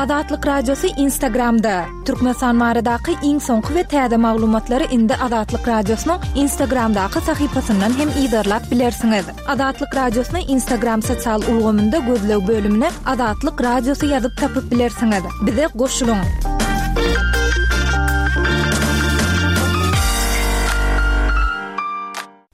Azatlyk Radiosy Instagramda! Türkmenistan baradaky iň soňky we täze maglumatlary indi Azatlyk Radiosynyň Instagramdaky sahypasyndan hem yzarlap bilersiňiz. Azatlyk Radiosyny Instagram sosial ulgamynda gözleg bölümine Azatlyk Radiosy ýazyp tapyp bilersiňiz. Bize goşulyň!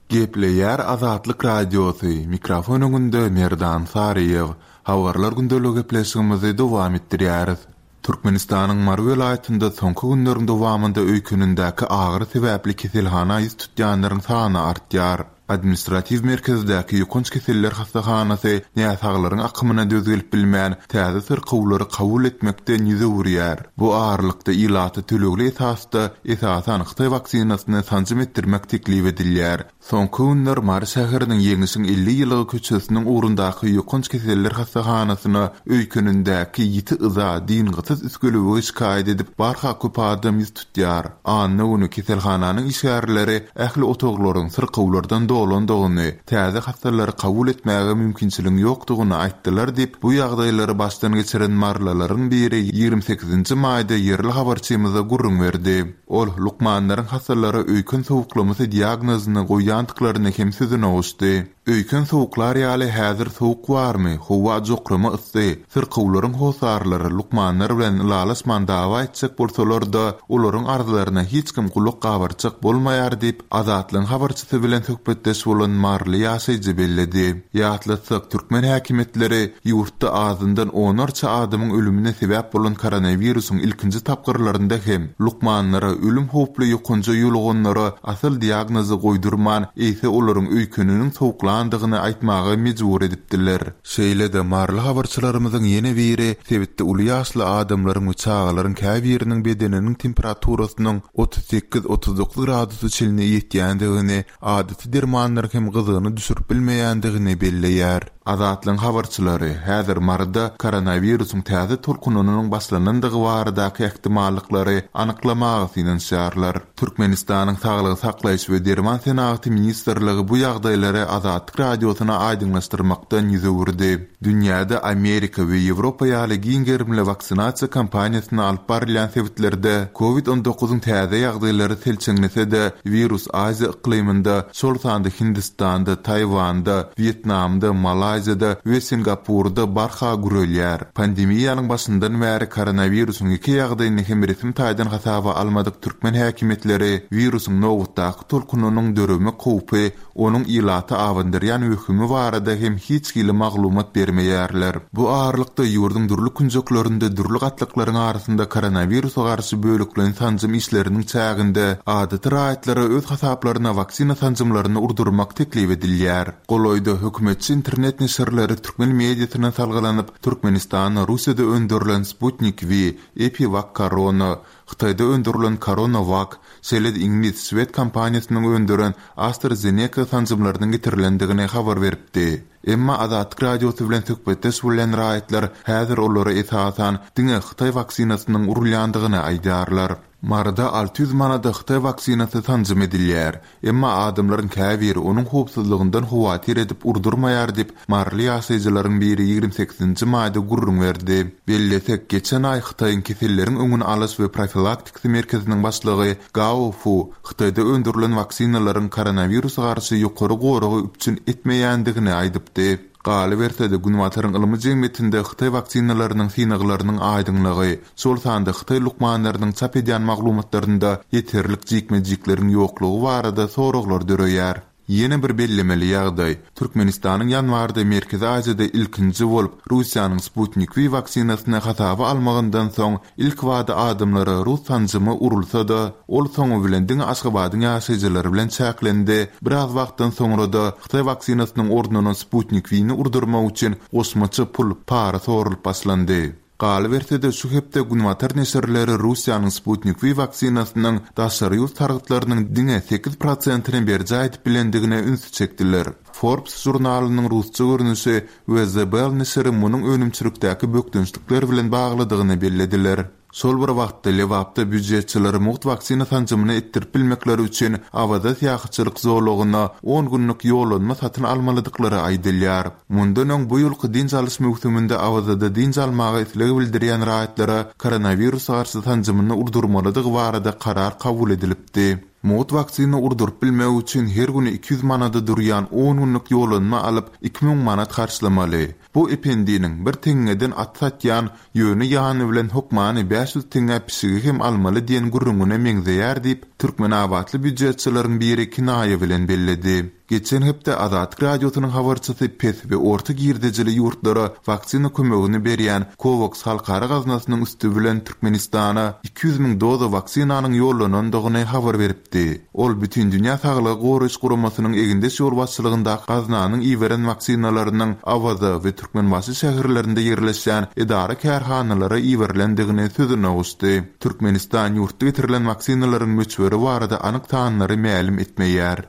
Gepleýär Azatlyk Radiosy, mikrofon öňünde Merdan Saryýew. Habarlar gündeligi gepleşigimizi dowam etdirýäris. Türkmenistanyň Mary welaýatynda soňky günleriň dowamynda öýkenindäki agyry sebäpli keselhana ýüz tutýanlaryň sany artýar. Administratiw merkezdäki ýokanç keseller hassahanasy näsaglaryň akymyna döz gelip bilmän, täze syrkawlary kabul etmekden ýüz öwürýär. Bu aralykda ilata tölegli esasda, esasan, hytaý waksinasyny sanjym etdirmek teklip edilýär. Soňky günler Mary şäheriniň Ýeňişiň 50 ýyllygy köçesiniň ugrundaky ýokanç keseller hassahanasyna öýkenindäki ýiti yza, dyngysyz üsgülewüge şikaýat edip barha köp adam ýüz tutýar. Anna güni keselhananyň işgärleri ähli otaglaryň syrkawlardan dolandygyny, täze hassalary kabul etmäge mümkinçiligiň ýokdugyny aýtdylar diýip, bu ýagdaýlary başdan geçiren marylylaryň biri 28-nji maýda ýerli habarçymyza gürrüň berdi. Ol lukmanlaryň hassalara öýken sowuklamasy diagnozyny goýýandyklaryny hem sözüne goşdy. Öýken sowuklar ýaly häzir sowuk barmy, howa jokrama yssy, syrkawlaryň hossarlary lukmanlar bilen ylalaşman dawa etjek bolsalar-da, olaryň arzlaryna hiç kim gulak gabartjak bolmaýar diýip, Azatlygyň habarçysy bilen söhbetdeş bolan maryly ýaşaýjy belledi. Ýatlatsak, türkmen häkimiýetleri ýurtda azyndan onlarça adamyň ölümine sebäp bolan koronawirusyň ilkinji tapgyrlarynda hem lukmanlara ölüm howply ýokanja ýoluganlara asyl diagnozy goýdurman, eýse olaryň öýkeniniň sowuklandygyny aýtmaga mejbur edipdiler. Şeýle-de, maryly habarçylarymyzyň ýene biri sebitde uly ýaşly adamlaryň we çagalaryň käbiriniň bedeniniň temperaturasynyň 38, 39 gradusa çenli ýetýändigini, adaty dermanlaryň hem gyzgyny düşürip bilmeýändigini belleýär. Azatlygyň habarçylary häzir Maryda koronawirusyň täze tolkunynyň başlanandygy baradaky ähtimallyklary anyklamaga synanyşýarlar. Türkmenistanyň Saglygy saklaýyş we derman senagaty ministrligi bu ýagdaýlary Azatlyk Radiosyna aýdyňlaşdyrmakdan ýüz öwürdi. Dünýäde Amerika we Ýewropa ýaly giň gerimli waksinasiýa kampaniýasyny alyp barylýan sebitlerde Covid 19 yň täze ýagdaýlary selçeňlese-de, wirus Aziýa yklymynda, şol sanda Hindistanda, Taýwanda, Wýetnamda, Malaýziýada we Singapurda barha gürelýär. Pandemiýanyň başyndan bäri koronawirusyň ýeke ýagdaýyny hem resmi taýdan hasaba almadyk türkmen häkimiýetleri wirusyň nobatdaky tolkunynyň döremek howpy, onuň ilata abandyrýan wehimi barada hem hiç hili maglumat bermeýärler. Bu aralykda, ýurduň dürli künjeklerinde dürli gatlaklaryň arasynda koronawirusa garşy bölekleýin sanjym işleriniň çäginde adaty raýatlara öz hasaplaryna waksina sanjymlaryny urdurmak teklip edilýär. Golaýda hökümetçi internet neşirleri türkmen mediasyna salgylanyp, Türkmenistanda Russiýada öndürilen Sputnik V, EpiWakKorona, Hytaýda öndürilen CoronaVac, şeýle-de iňlis, şwed kompaniýasynyň öndüren AstraZeneca sanjymlarynyň getirilendigini habar beripdi. Emma Azatlyk Radiosy bilen söhbetdeş bolýan raýatlar häzir olara esasan diňe hytaý waksinasynyň urulýandygyny aýdýarlar. Maryda 600 manada hytaý waksinasy sanjym edilýär. Emma adamlaryň käbiri onuň howpsuzlygyndan howatyr edip urdurmaýar diýip, maryly ýaşaýjylaryň biri 28-nji maýda gürrüň berdi. Bellesek, geçen aý Hytaýyň keselleriň öňüni alyş we profilaktikasy merkeziniň başlygy Gao Fu Hytaýda öndürilen waksinalaryň koronawirusa garşy ýokary goragy üpjün etmeýändigini aýdypdy. Galyberse-de, Günbataryň ylmy jemgyýetinde hytaý waksinalarynyň synaglarynyň aýdyňlygy, şol sanda hytaý lukmanlarynyň çap edýän maglumatlarynda ýeterlik jikme-jikleriň ýoklugy barada soraglar döreýär. Ýene bir bellemeli ýagdaý, Türkmenistanyň ýanwarda Merkezi Aziýada ilkinji bolup Russiýanyň Sputnik V waksinasyny hasaba almagyndan soň Ilkibada adamlara rus sanjymy urulsa-da, ol soňy bilen diňe Aşgabadyň ýaşaýjylary bilen çäklendi, biraz wagtdan soňra-da hytaý waksinasynyň ornuna Sputnik V-ni urdurmak üçin goşmaça pul, para soralyp başlandy. Galyberse-de, şu hepde günbatar neşirleri Russiýanyň Sputnik V waksinasynyň daşary ýurt sargytlarynyň diňe sekiz prosentini berjaý edip bilendigine ünsi çekdiler. Forbes žurnalynyň rusça görnüşi we The Bell neşiri munuň önümçilikdäki bökdençlikler bilen baglydygyny bellediler. Şol bir wagtda, Lebapda býujetçilere mugt waksina sanjymyny etdirip bilmekleri üçin Awaza syýahatçylyk zolagyna on günlük ýollanma satyn almalydyklary aýdylýar. Mundan öň bu ýylky dynç alyş möwsüminde Awazada dynç almaga isleg bildirýän raýatlara koronawirusa garşy sanjymyny urdurmalydygy barada karar kabul edilipdi. Mugt waksina urduryp bilmek üçin her güni 200 manada durýan on günlük ýollanma alyp, 2000 manat harçlamaly. Bu Ependiniň, bir teňňeden at satýan, ýöne ýany bilen hökmany 500 teňňä pişigi hem almaly diýen gürrüňine meňzeýär diýip, türkmenabatly býujetçileriň biri kinaýa bilen belledi. Geçen hepde Azatlyk Radiosynyň habarçysy pes we orta girdejili ýurtlara waksina kömegini berýän Covax halkara gaznasynyň üsti bilen Türkmenistana 200 müň doza waksinanyň ýollanandygyny habar beripdi. Ol Bütindünýä Saglygy Goraýyş Guramasynyň egindeş ýolbaşçylygyndaky gaznanyň iberen waksinalarynyň Awaza we Türkmenbaşy şäherlerinde ýerleşýän edara-kärhanalara iberilendigini sözüne goşdy. Türkmenistan ýurtda getirilen waksinalaryň möçberi barada anyk sanlary mälim etmeýär.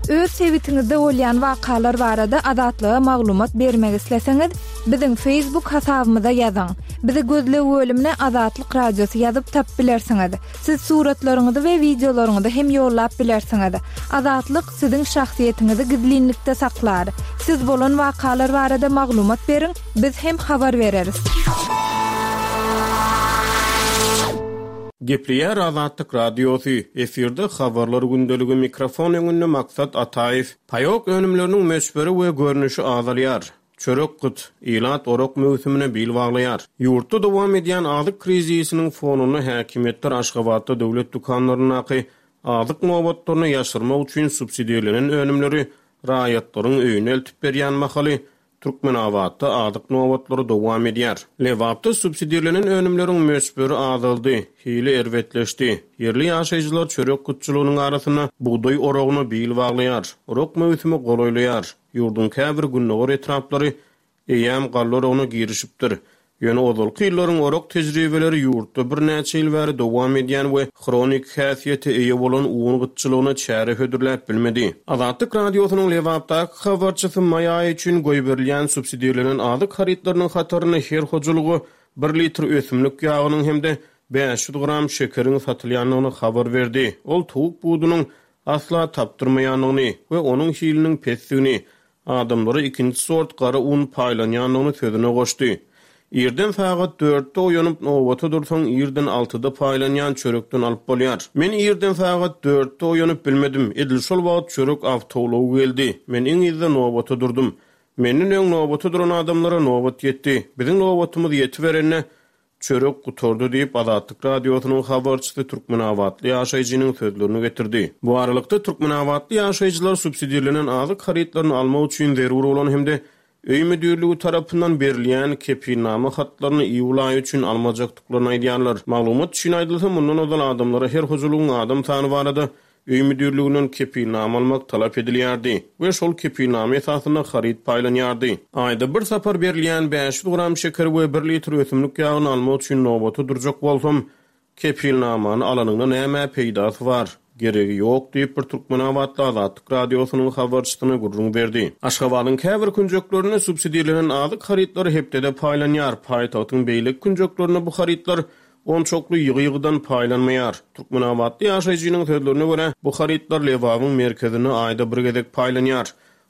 Öz sebitiňizde bolýan wakalar barada Azatlyga maglumat bermek isleseňiz, biziň Facebook hasabymyza ýazyň. Bizi gözleg bölümine Azatlyk Radiosy ýazyp tapyp bilersiňiz. Siz suratlaryňyzy we wideolaryňyzy hem ýollap bilersiňiz. Azatlyk siziň şahsyýetiňizi gizlinlikde saklar. Siz bolan wakalar barada maglumat beriň, biz hem habar bereris. Gepleýär Azatlyk Radiosy, efirde Habarlar gündeligi, mikrofon öňünde Maksat Ataýew. Paýok önümleriniň möçberi we görnüşi azalýar. Çörek gyt, ilat orak möwsümine bil baglaýar. Ýurtda dowam edýän azyk krizisiniň fonunda häkimiýetler Aşgabatda döwlet dükanlaryndaky azyk nobatlaryny ýaşyrmak üçin subsidirlenen önümleri raýatlaryň öýüne eltip berýän mahaly, Türkmenabatda azyk nobatlary dowam edýär. Lebapda subsidirlenen önümleriň möçberi azaldy, hili erbetleşdi. Ýerli ýaşaýjylar çörek gytçylygynyň arasynda bugdaý oragyna bil baglaýar. Orak möwsümi golaýlaýar. Ýurduň käbir gündogar etraplary eýýäm galla oragyna girişipdir. Ýöne ozalky ýyllaryň orak tejribeleri ýurtda birnäçe ýyl bäri dowam edýän we hronik häsiýete eýe bolan un gytçylygyna çäre hödürläp bilmedi. Azatlyk Radiosynyň Lebapdaky habarçysy maý aýy üçin goýberilýän subsidirlenen azyk harytlarynyň hatarynda her hojalyga bir litr ösümlik ýagynyň hem-de 500 gram şekeriň satylýandygyny habar berdi. Ol towuk budunyň asla tapdyrmaýandygyny we onuň hiliniň pesdigini, adamlara ikinji sort gara un paýlanýandygyny sözüne goşdy. Irden sagat dörtde oýanyp, nobata dursaň, irden altyda paýlanýan çörekden alyp bolýar. Men irden sagat dörtde oýanyp bilmedim, edil şol wagt çörek awtoulagy geldi. Men iň yzda nobata durdum. Menden öň nobata duran adamlara nobat ýetdi. Biziň nobatymyz ýetiberende, Çörek gutardy diýip, Azatlyk Radiosynyň habarçysy türkmenabatly ýaşaýjynyň sözlerini getirdi. Bu aralykda, türkmenabatly ýaşaýjylar subsidirlenen azyk harytlaryny almak üçin zerur bolan hem-de Öý müdirligi tarapyndan berilýän kepilnama hatlaryny iýul aýy üçin almajakdyklaryny aýdýarlar. Maglumat üçin aýdylsa, mundan ozal adamlara her hojalygyň adam sany barada Öý müdirliginden kepilnama almak talap edilýärdi we şol kepilnama esasynda haryt paýlanýardy. Aýda bir sapar berilýän 500 gram şeker we bir litr ösümlik ýagyny almak üçin nobata durjak bolsam, kepilnamany alanyňda nämä peýdasy bar? Geregi ýok diýip, bir türkmenabatly Azatlyk Radiosynyň habarçysyna gürrüň berdi. Aşgabadyň käbir künjeklerinde subsidirlenen azyk harytlary hepdede paýlanýar, paýtagtyň beýleki künjeklerinde bu harytlar Onçakly ýygy-ýygydan paýlanmaýar. Türkmenabatly ýaşaýjynyň sözlerine görä, bu harytlar Lebabyň merkezinde aýda bir gezek paýlanýar.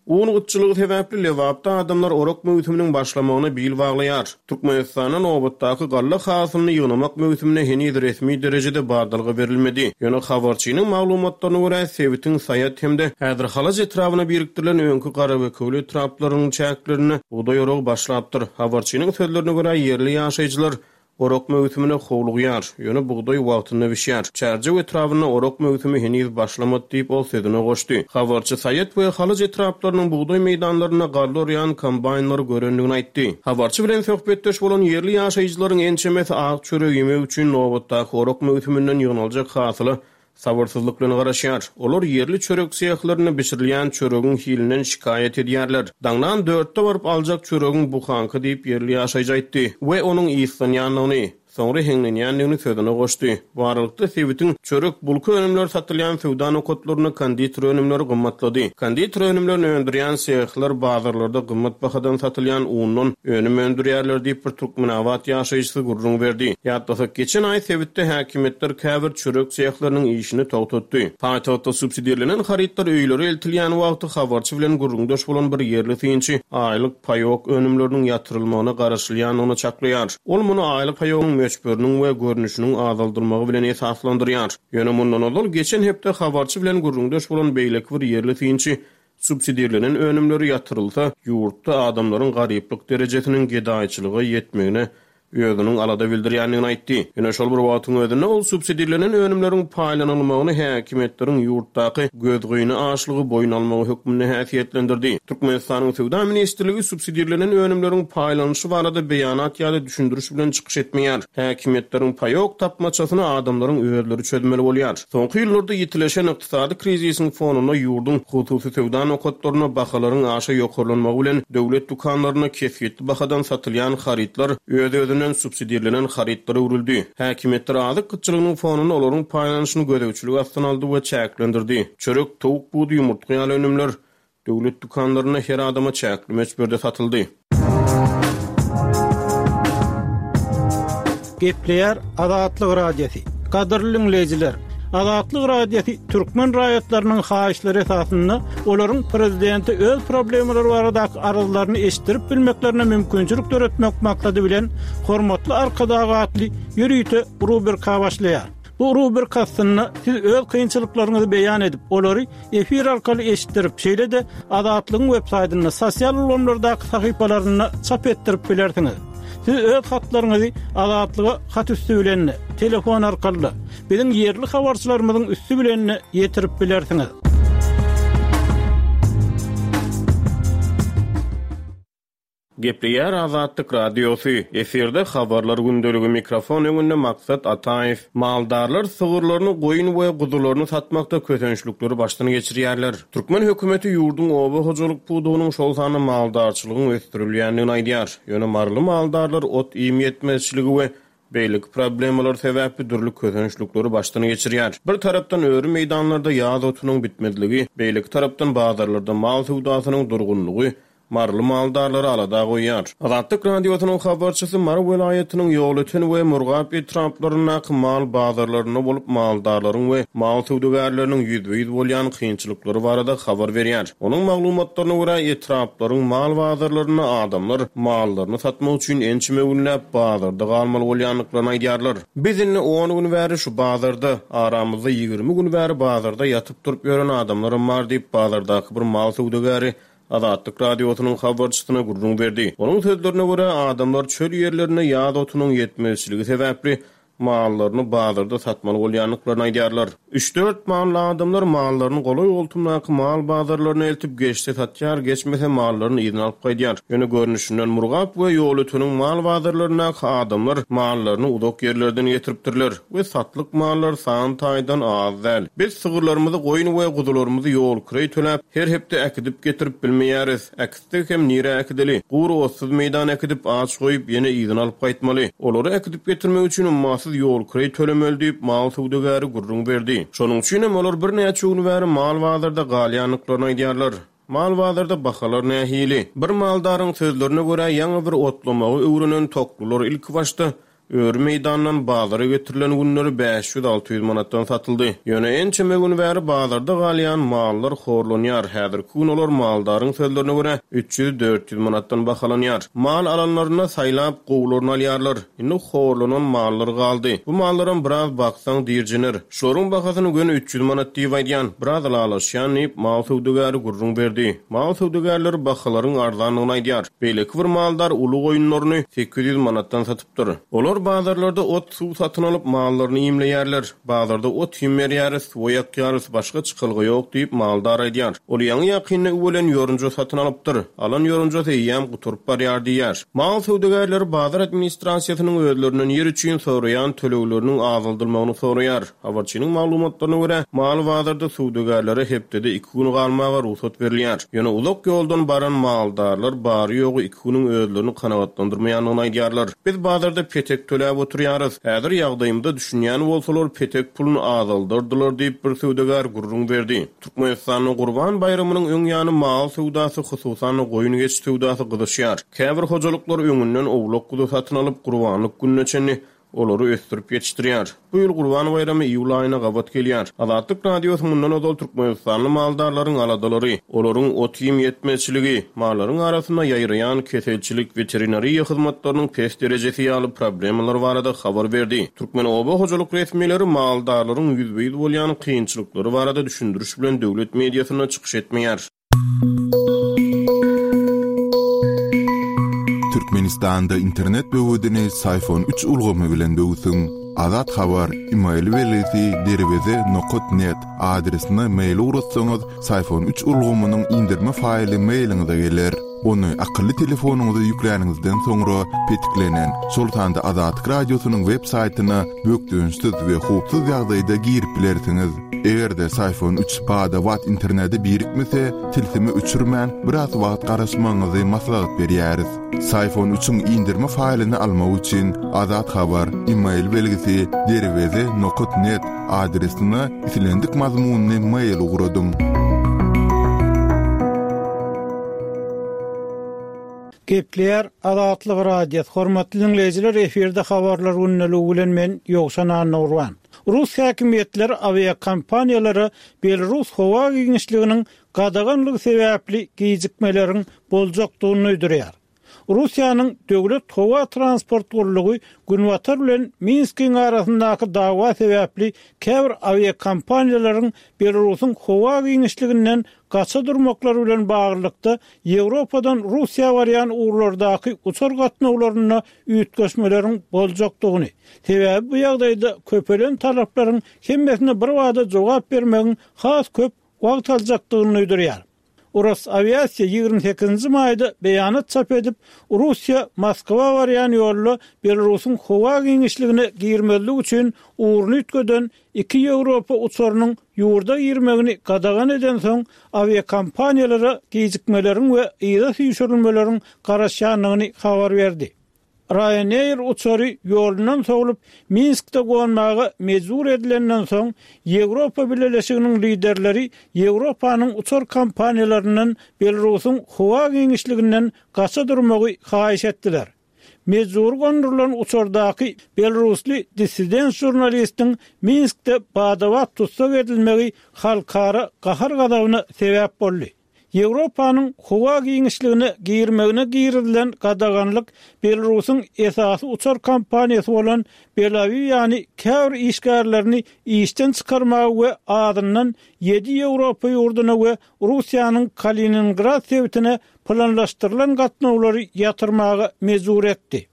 Un gytçylygy sebäpli Lebapda adamlar orak möwsüminiň başlamagyna bil baglaýar. Türkmenistanda nobatdaky galla hasylyny ýygnamak möwsümine heniz resmi derejede badalga berilmedi. Ýöne habarçynyň maglumatlaryna görä, sebitiň Saýat hem-de häzir Halaç etrabyna birikdirilen öňki Garabekewül etraplarynyň çäklerinde bugdaý oragy başlapdyr. Habarçynyň sözlerine görä, ýerli ýaşaýjylar Orak möwsümine howlugýar, ýöne bugdaý wagtynda bişýär. Çärjew etrabynda orak möwsümi heniz başlamady diýip, ol sözüne goşdy. Habarçy Saýat we Halaç etraplarynyň bugdaý meýdanlarynda galla orýan kombaýnlary görendigini aýtdy. Habarçy bilen söhbetdeş bolan ýerli ýaşaýjylaryň ençemesi ak çörek iýmek üçin nobatdaky orak möwsüminden ýygnaljak hasyla Sabyrsyzlyk bilen garaşýar. Olar ýerli çörek sehlerinde bişirilýän çöregiň hilinden şikaýat edýärler. Daňdan dörtde baryp aljak çöregiň buhanka diýip, ýerli ýaşaýjy aýtdy we onuň yslanýandygyny, Soňra heňlenýändigini sözüne goşdy. Bu aralykda, sebitiň çörek, bulka önümleri satylýan söwda nokatlarynda konditer önümleri gymmatlady. Konditer önümlerini öndürýän sehler bazarlarda gymmat bahadan satylýan undan önüm öndürýärler diýip, bir türkmenabat ýaşaýjysy gürrüň berdi. Ýatlasak, geçen aý sebitde häkimiýetler käbir çörek sehleriniň işini togtatdy. Paýtagtda subsidirlenen harytlar öýlere eltilýän wagty habarçy bilen gürrüňdeş bolan bir ýerli synçy aýlyk paýok önümleriniň ýatyrylmagyna garaşylýandygyny çaklaýar. Ol muny aýlyk paýogyň möçberiniň we görnüşiniň azaldylmagy bilen esaslandyrýar. Ýöne mundan ozal, geçen hepde habarçy bilen gürrüňdeş bolan beýleki bir ýerli synçy subsidirlenen önümleri ýatyrylsa, ýurtda adamlaryň garyplyk derejesiniň gedaýçylyga ýetmegine özüniň alada bildirýändigini aýtdy. Ýöne şol bir wagtyň özünde ol subsidirlenen önümleriň paýlanylmagyny häkimiýetleriň ýurtdaky gözgyny açlygy boýun almagy hökmünde häsiýetlendirdi. Türkmenistanyň Söwda ministrligi subsidirlenen önümleriň paýlanyşy barada beýanat ýa-da düşündiriş bilen çykyş etmeýär. Häkimiýetleriň paýok tapmaçasyny adamlaryň özleri çözmeli bolýar. Soňky ýyllarda ýitileşen ykdysady krizisiň fonunda ýurduň hususy söwda nokatlarynda bahalaryň aşa ýokarlanmagy bilen döwlet dükanlarynda kesgitli bahadan satylýan harytlar öz-özünden subsidirlenen harytlara öwrüldi. Häkimiýetler azyk gytçylygynyň fonunda olaryň paýlanyşyny gözegçilik astyna aldy we çäklendirdi. Çörek, towuk budy, ýumurtga ýaly önümler Döwlet dükanlarynda her adama çäkli möçberde satyldy. Gepleýär Azatlyk Radiosy. Gadyrly diňleýjiler! Azatlyk Radiosy türkmen raýatlarynyň haýyşlary esasynda olaryň prezidente öz problemalary baradaky arzlaryny eşitdirip bilmeklerine mümkinçilik döretmek maksady bilen Hormatly Arkadag atly ýörite rubrika başlaýar. Bu rubrika astynda siz öz kynçylyklaryňyzy beýan edip, olary efir arkaly eşitdirip, şeýle-de Azatlygyň websaýtynda, sosial ulgamlardaky sahypalarynda çap etdirip bilersiňiz. Siz öz hatlaryňyzy Azatlyga hat üsti bilen-de, telefon arkaly-da, biziň ýerli habarçylarymyzyň üsti bilen-de ýetirip bilersiňiz. Gepleýär Azatlyk Radiosy, efirde Habarlar gündeligi, mikrofon öňünde Maksat Ataýew. Maldarlar sygyrlaryny, goýun we guzularyny satmakda kösençlikleri başdan geçirýärler. Türkmen hökümeti ýurduň oba hojalyk pudagynyň, şol sanda maldarçylygyň ösdürilýändigini aýdýar. Ýöne maryly maldarlar ot-iým ýetmezçiligi we beýleki problemalar sebäpli dürli kösençlikleri başdan geçirýär. Bir tarapdan öri meýdanlarda ýaz otunyň bitmezligi, beýleki tarapdan bazarlarda mal söwdasynyň durgunlygy Maryly maldarlary alada goýýar. Azatlyk Radiosynyň habarçysy Mary welaýatynyň Ýolöten we Murgap etraplaryndaky mal bazarlarynda bolup, maldarlaryň we mal söwdagärleriniň ýüzbe-ýüz bolýan kynçylyklary barada habar berýär. Onuň maglumatlaryna görä, etraplaryň mal bazarlarynda adamlar mallaryny satmak üçin ençeme günläp bazarda galmaly bolýandyklaryny aýdýarlar. Biz indi on gün bäri şu bazarda, aramyzda 20 gün bäri bazarda ýatyp-turup ýören adamlaram bar diýip, bazardaky bir mal söwdagäri Azatlyk Radiosynyň habarçysyna gürrüň berdi. Onuň sözlerine görä, adamlar çöl ýerlerinde ýaz otunyň ýetmezçiligi sebäpli mallaryny bazarda satmaly bolýandyklaryny aýdýarlar. Üç-dört mally adamlar mallaryny golaý-goltumdaky mal bazarlaryna eltip, geçse satýar, geçmese mallaryny yzyna alyp gaýdýar. Ýöne görnüşinden Murgap we Ýolöteniň mal bazarlaryndaky adamlar mallaryny uzak ýerlerden getiripdirler we satlyk mallar san taýdan az däl. Biz sygyrlarymyzy, goýun we guzularymyzy ýol-kireý töläp, Her hepde äkidip-getirip bilmeýäris. Äkitsek hem nirä äkideli? Gury otsuz meýdana äkidip, aç goýup, ýene yzyna alyp gaýtmaly. Olary äkidip-getirmek üçin ummasyz ýol-kireý tölemeli diýip, mal söwdagäri gürrüň berdi. Şonuň üçin hem olar birnäçe gün bäri mal bazarda galýandyklaryny aýdýarlar. Mal bazarda bahalar nähili? Bir maldaryň sözlerine görä, ýaňy bir otlamagy öwrenen toklular ilkibaşda Öri meýdandan bazara getirilen günleri 500-600 manatdan satyldy. Ýöne ençeme gün bäri bazarda galýan mallar horlanýar, häzirki gün olar maldaryň sözlerine görä, 300-400 manatdan bahalanýar. Mal alanlarynda saýlap gowularyny alýarlar. Indi horlanan mallar galdy. Bu mallaram biraz baksaň dirjener. Şolaryň bahasyny göni 300 manat diýip aýdýan, biraz ylalaşýan diýip, mal söwdagäri gürrüň berdi. Mal söwdagärleri bahalaryň arzandygyny aýdýar. Beýleki bir maldar uly goýunlaryny 800 manatdan satypdyr. Olar bazarlarda ot-suw satyn alyp, mallaryny iýmleýärler. Bazarda ot-iým berýäris, suwa ýakýarys, başga çykalga ýok diýip, maldar aýdýar. Ol ýaňy-ýakynda üwelen ýorunja satyn alypdyr. Alan ýorunjasy eýýäm gutaryp barýar diýýär. Mal söwdagärleri bazar administrasiýasynyň özlerinden ýer üçin soraýan tölegleriniň azaldylmagyny soraýar. Habarçynyň maglumatlaryna görä, mal bazarda söwdagärlere hepdede iki gün galmaga rugsat berilýär. Ýöne uzak ýoldan baran maldarlar bary-ýogy iki günüň özlerini kanagatlandyrmaýandygyny aýdýarlar. Biz bazarda petek. töläp oturýarys. Häzir ýagdaýymyza düşünýän bolsalar, petek puluny azaldardylar diýip, bir söwdagär gürrüň berdi. Türkmenistanda Gurban baýramynyň öň ýany mal söwdasy, hususan-da, goýun-geçi söwdasy gyzyşýar. Käbir hojalyklar öňünden owlak-guzy satyn alyp, gurbanlyk gününe çenli olary ösdürip ýetişdirýär. Bu ýyl Gurban baýramy iýul aýyna gabat gelýär. Azatlyk Radiosy mundan ozal türkmenistanly maldarlaryň aladalary, olaryň ot-iým ýetmezçiligi, mallaryň arasynda ýaýraýan keselçilik, weterinariýa hyzmatlarynyň pes derejesi ýaly problemalar barada habar berdi. Türkmen oba hojalyk resmileri maldarlaryň ýüzbe-ýüz bolýan kynçylyklary barada düşündiriş bilen döwlet mediasynda çykyş etmeýär. Türkmenistanda internet böwedini Syfon üç ulgamy bilen böwsüň. Azat Habar, email belgisi derweze nokat net adresine mail ugratsaňyz, Syfon üç ulgamynyň indirme faýly mailiňize geler. Ony akylly telefonyňyza ýükläniňizden soňra petiklenen, şol sanda Azatlyk Radiosynyň web saýtyna bökdençsiz we howpsuz ýagdaýda girip bilersiňiz. Eger-de Syfon üç bada-bat internete birikmese, tilsimi öçürmän, biraz wagt garaşmagyňyzy maslahat berýäris. Syfon üçiň indirme faýlyny almak üçin Azat Habar, email belgisi, derweze nokat net adresine islendik mazmunly mail ugradyň. Gepleýär Azatlyk Radiosy, Hormatly diňleýjiler efirde habarlar gündeligi bilen men Ýowşan Annagurban. Rus häkimiýetleri awiakompaniýalara Belarus howa giňişliginiň gadaganlygy sebäpli gijikmeleriň boljakdygyny duýdurýar. Russiýanyň Döwlet howa transport gullugy Günbatar bilen Minskiň arasyndaky dawa sebäpli käbir awiakompaniýalaryň Belarusyň howa giňişliginden gaça durmaklary bilen baglylykda Ýewropadan Russiýa barýan ugurlardaky uçar gatnawlarynda üýtgeşmeleriň boljakdygyny, sebäbi bu ýagdaýda köpelen talaplaryň hemmesine birbada jogap bermegiň has köp wagt aljakdygyny duýdurýar. Rosawiasiýa 28 nji maýda beýanat çap edip, Russiýa Moskwa barýan ýolda Belarusyň howa giňişligine girmezlik üçin ugruny üýtgeden iki ýewropa uçarynyň ýurda girmegini gadagan edensoň, awiakompaniýalara gijikmeleriň we yza süýşürilmeleriň garaşýandygyny habar berdi. Ryanair uçary ýolundan sowlup, Minskde gonmaga mejbur edilenden soň, Ýewropa Bileleşiginiň liderleri Ýewropanyň uçar kompaniýalaryndan Belarusyň howa giňişliginden gaça durmagy haýyş etdiler. Mejbury gondurylan uçardaky belarusly dissident žurnalistiň Minskde bada-bat tussag edilmegi halkara gahar-gazabyna sebäp boldy. Ýewropanyň howa giňişligine girmegine girizilen gadaganlyk Belarusyň esasy uçar kompaniýasy bolan Belawiýany käbir işgärlerini işden çykarmaga we azyndan ýedi ýewropa ýurduna we Russiýanyň Kaliningrad sebitine planlaşdyrylan gatnawlary ýatyrmaga mejbur etdi.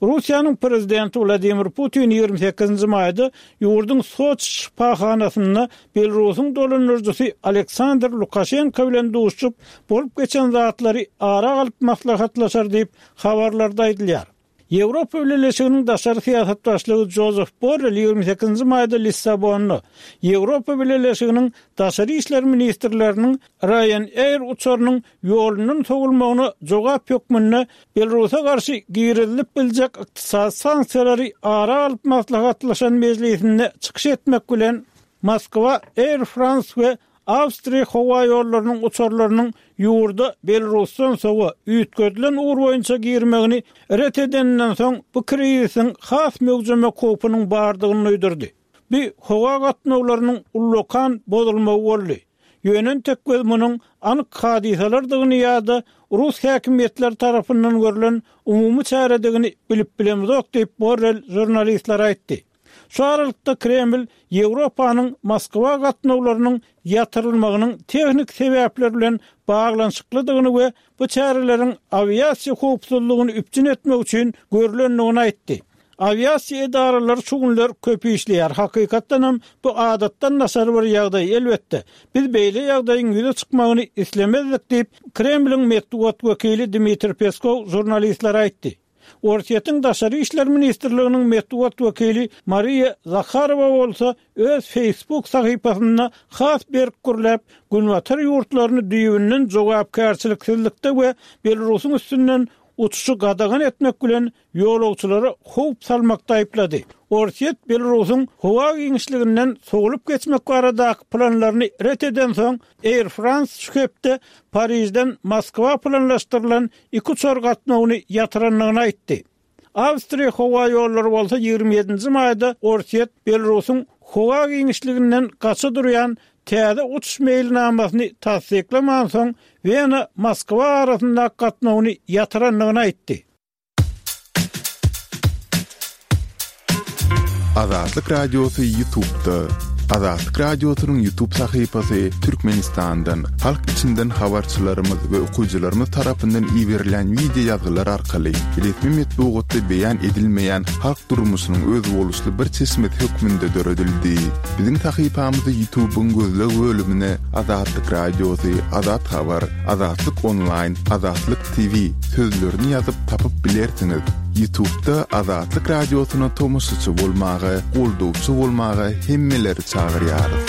Russiýanyň Prezidenti Wladimir Putin 28 nji maýda ýurduň Soçi şypahanasynda Belarusyň dolandyryjysy Aleksandr Lukaşenko bilen duşuşyp, bolup geçen zatlary ara alyp maslahatlaşar diýip, habarlarda aýdylýar. Ýewropa Bileleşiginiň daşary syýasat başlygy Jozef Borrel 28 nji maýda Lissabonda Ýewropa Bileleşiginiň daşary işler ministrleriniň Ryanair uçarynyň ýolundan sowulmagyna jogap hökmünde Belarusa garşy girizilip biljek ykdysady sanksiýalary ara alyp maslahatlaşan mejlisinde çykyş etmek bilen, Moskwa Air France we Awstriýa howaýollarynyň uçarlarynyň ýurda Belarusdan sowa üýtgedilen ugur boýunça girmegini ret edeninden soň bu krizisiň has möwjemek howpunyň bardygyny duýdurdy. Bu howa gatnawlarynyň ullakan bozulmagy boldy. Ýöne entek biz munuň anyk hadysalardygyny ýa-da rus häkimiýetleri tarapyndan görlen umumy çäredigini bilip bilemzok diýip, Borrel žurnalistlere aýtdy. Şu aralykda Kreml Ýewropanyň Moskwa gatnawlarynyň ýatyrylmagynyň tehniki sebäpler bilen baglanyşyklydygyny we bu çäreleriň awiasiýa howpsuzlygyny üpjün etmek üçin görlendigini aýtdy. Awiasiýa edaralary şu günler köp işleýär. Hakykatdanam, bu adatdan daşary bir ýagdaý. Elbetde, biz beýle ýagdaýyň ýüze çykmagyny islemezdik diýip, Kremliň metbugat wekili Dmitriý Peskow žurnalistlere aýtdy. Orsýetiň Daşary işler ministrliginiň metbugat wekili Mariýa Zaharowa bolsa öz Facebook sahypasynda has berk gürläp, Günbatar ýurtlaryny düýbünden jogapkärçiliksizlikde we Belarusyň üstünden. uçuşy gadagan etmek bilen ýolagçylara howp salmakda aýyplady. Orsýet Belarusyň howa giňişliginden sowlup geçmek baradaky planlaryny ret edensoň, Air France şu hepde Parižden Moskwa planlaşdyrylan iki uçar gatnawyny ýatyrandygyny aýtdy. Awstriýa howaýollary bolsa 27 nji maýda Orsýet Belarusyň howa giňişliginden gaça durýan täze uçuş meýilnamasyny tassyklamansoň, Wena-Moskwa arasyndaky gatnawyny ýatyrandygyny aýtdy. Azatlyk Radiosy Ýutubda. Azatlyk Radiosynyň Ýutub sahypasy Türkmenistandan, halk içinden habarçylarymyz we okyjylarymyz tarapyndan iberilýän wideo ýazgylar arkaly resmi metbugatda beýan edilmeýän halk durmuşynyň özboluşly bir çeşmesi hökmünde döredildi. Biziň sahypamyzy Ýutubyň gözleg bölümine Azatlyk Radiosy, Azat Habar, Azatlyk Onlaýn, Azatlyk TV sözlerini ýazyp tapyp bilersiňiz. Ýutubda Azatlyk Radiosyna tomaşaçy bolmaga, goldawçy bolmaga hemmeleri çagyrýarys.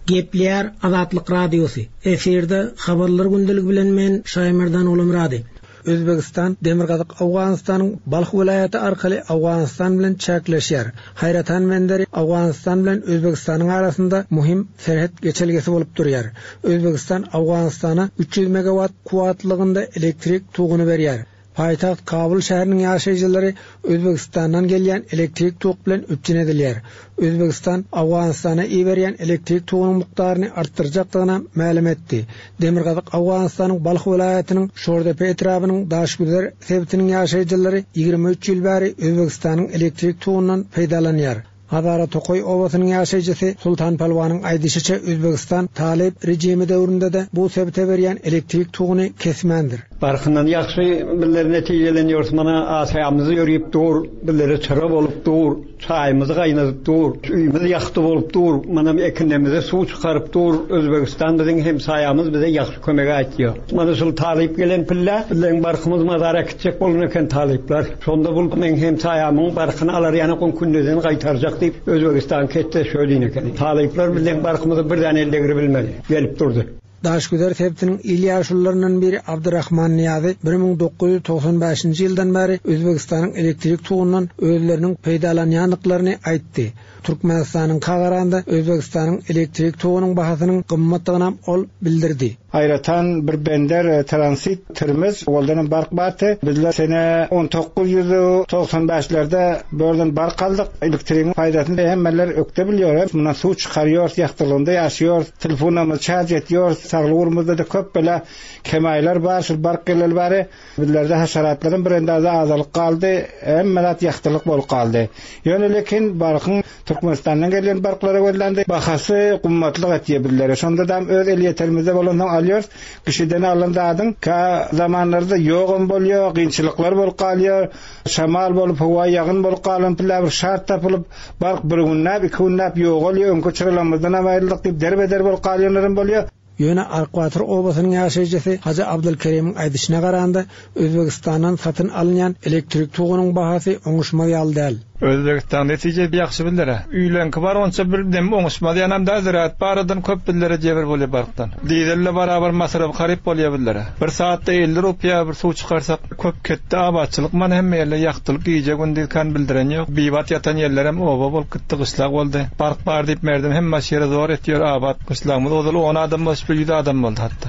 Gepleýär Azatlyk Radiosy, efirde Habarlar gündeligi bilen men Şaýmerdan Ogulmyrady. Özbegistan Demirgazyk Owganystanyň Balh welaýaty arkaly Owganystan bilen çäkleşýär. Haýratan benderi Owganystan bilen Özbegistanyň arasynda muhim serhet geçelgesi bolup durýar. Özbegistan Owganystana 300 megawat kuwwatlygynda elektrik toguny berýär. Paýtagt Kabul şäheriniň ýaşaýjylary Özbegistandan gelýän elektrik tok bilen üpjün edilýär. Özbegistan Owganystana iberýän elektrik togunyň mukdaryny artdyrjakdygynam mälim etdi. Demirgazyk Owganystanyň Balh welaýatynyň Şordepe etrabynyň Daşgüzer sebitiniň ýaşaýjylary 23 ýyl bäri Özbegistanyň elektrik togundan peýdalanýar. Hazara tokaý obasynyň ýaşaýjysy Sultan Pälwanyň aýdyşyça, Özbegistan talyp režimi döwründe-de bu sebite berýän elektrik toguny kesmändir. Barkyndan ýagşy bizler netijelenýäris. Mana aşamyz ýörüp dur, bizlere çyra bolup dur, çaýymyzy gaýnadyp dur, öýümiz ýagty bolup dur, mana ekinlerimize suw çykaryp dur. Özbegistan biziň hemsaýamyz bize ýagşy kömek aýtýar. Mana şul talyp gelen pille bizleň barkymyz mazar äkitjek bolan eken talyplar. Şonda bul meň hemsaýamyň barkyny alar ýanak on kündeden gaýtarjak diýip Özbegistan ketde şö diýen ekeni. Talyplar bizleň barkymyzy bir däne el degribilmedi. Gelip durdy. Daşgüzer sebitiniň il ýaşulularyndan biri Abdyrahman Nyýazy 1995-nji ýyldan bäri Özbegistanyň elektrik togundan özleriniň peýdalanýandyklaryny aýtdy. Türkmenistanyňka garanda Özbegistanyň elektrik togunyň bahasynyň gymmatdygynam ol bildirdi. Aýratan bir bender transit Termez owaldanam bark bardy. Bizler sene 1995 lerde bu ýerden bark aldyk. Elektrigiň paýdasyny hemmeler ökde bilýär. Mundan suw çykarýarys, ýagtylygynda ýaşaýarys, telefonlarymyzy çarj etýäris. Saglyk ugrumyzda-da köp bela kemaýlar bar. Şul bark geleli bäri Bizlerde haşaratlaryň bir endazy azalyp galdy, hemme zat ýagtylyk bolup galdy. Ýöne lekin barkyň Türkmenistandan gelýän barklara gözlände bahasy gymmatlyk etýär bizlere. Şondadam öz elýeterimizde bolansoň alýarys. Kişiden alan zadyň kä zamanlarda ýogam bolýar, kynçylyklar bolup galýar. Şamal bolup, howa ýagyn bolup galan pille bir şart tapylyp, bark bir günläp, iki günläp ýogalýar, öňki çyralarymyzdanam aýryldyk diýip derbe-der bolup galýanlaram bolýar. Ýöne Arkbatyr obasynyň ýaşaýjysy Hajy Abdylkerimiň aýdyşyna garanda, Özbegistandan satyn alynýan elektrik togunyň bahasy oňuşmaz ýaly däl. Özbegistan netije ýagşy bizlere. Üýleňki bar onça bir dem oňuşmaz ýanam däl ziraat baradan köp bizlere jebir bolýa barkdan. Dizelle barabar masrafy haryp bolýa bizlere. Bir saatda 50 rupiýa bir suw çykarsak köp ketde abatçylyk mana hemme ýerde ýagtylyk gije gündiz kan bildiren ýok. Bibat ýatan ýerlerem oba bolup gitdi gyşlag boldy. Bark bar diýip merdem hemme ýere zor etýär abat gyşlagymyz ozal on adam bolsa şu ýüz adam boldy hatda.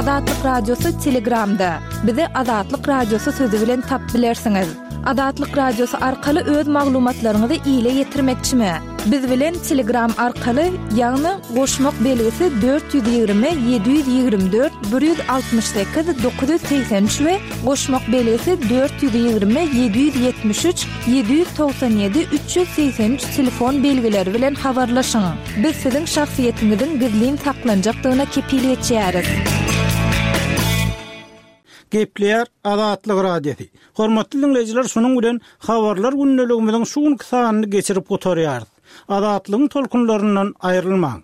Azatlyk Radiosy Telegramda. Bizi Azatlyk Radiosy sözi bilen tapyp bilersiňiz. Azatlyk Radiosy arkaly öz maglumatlaryňyzy ile ýetirmekçimi? Biz bilen Telegram arkaly, ýagny goşmak belgisi 420 724 168 983 we goşmak belgisi 420 773 797 383 telefon belgileri bilen habarlaşyň. Biz siziň şahsyýetiňiziň gizlin saklanjakdygyna kepil geçýäris. Gepleýär Azatlyk Radiosy. Hormatly diňleýjiler şunuň bilen Habarlar gündeligimiziň şu günki sanyny geçirip gutarýarys. Azatlygyň tolkunlaryndan aýrylmaň.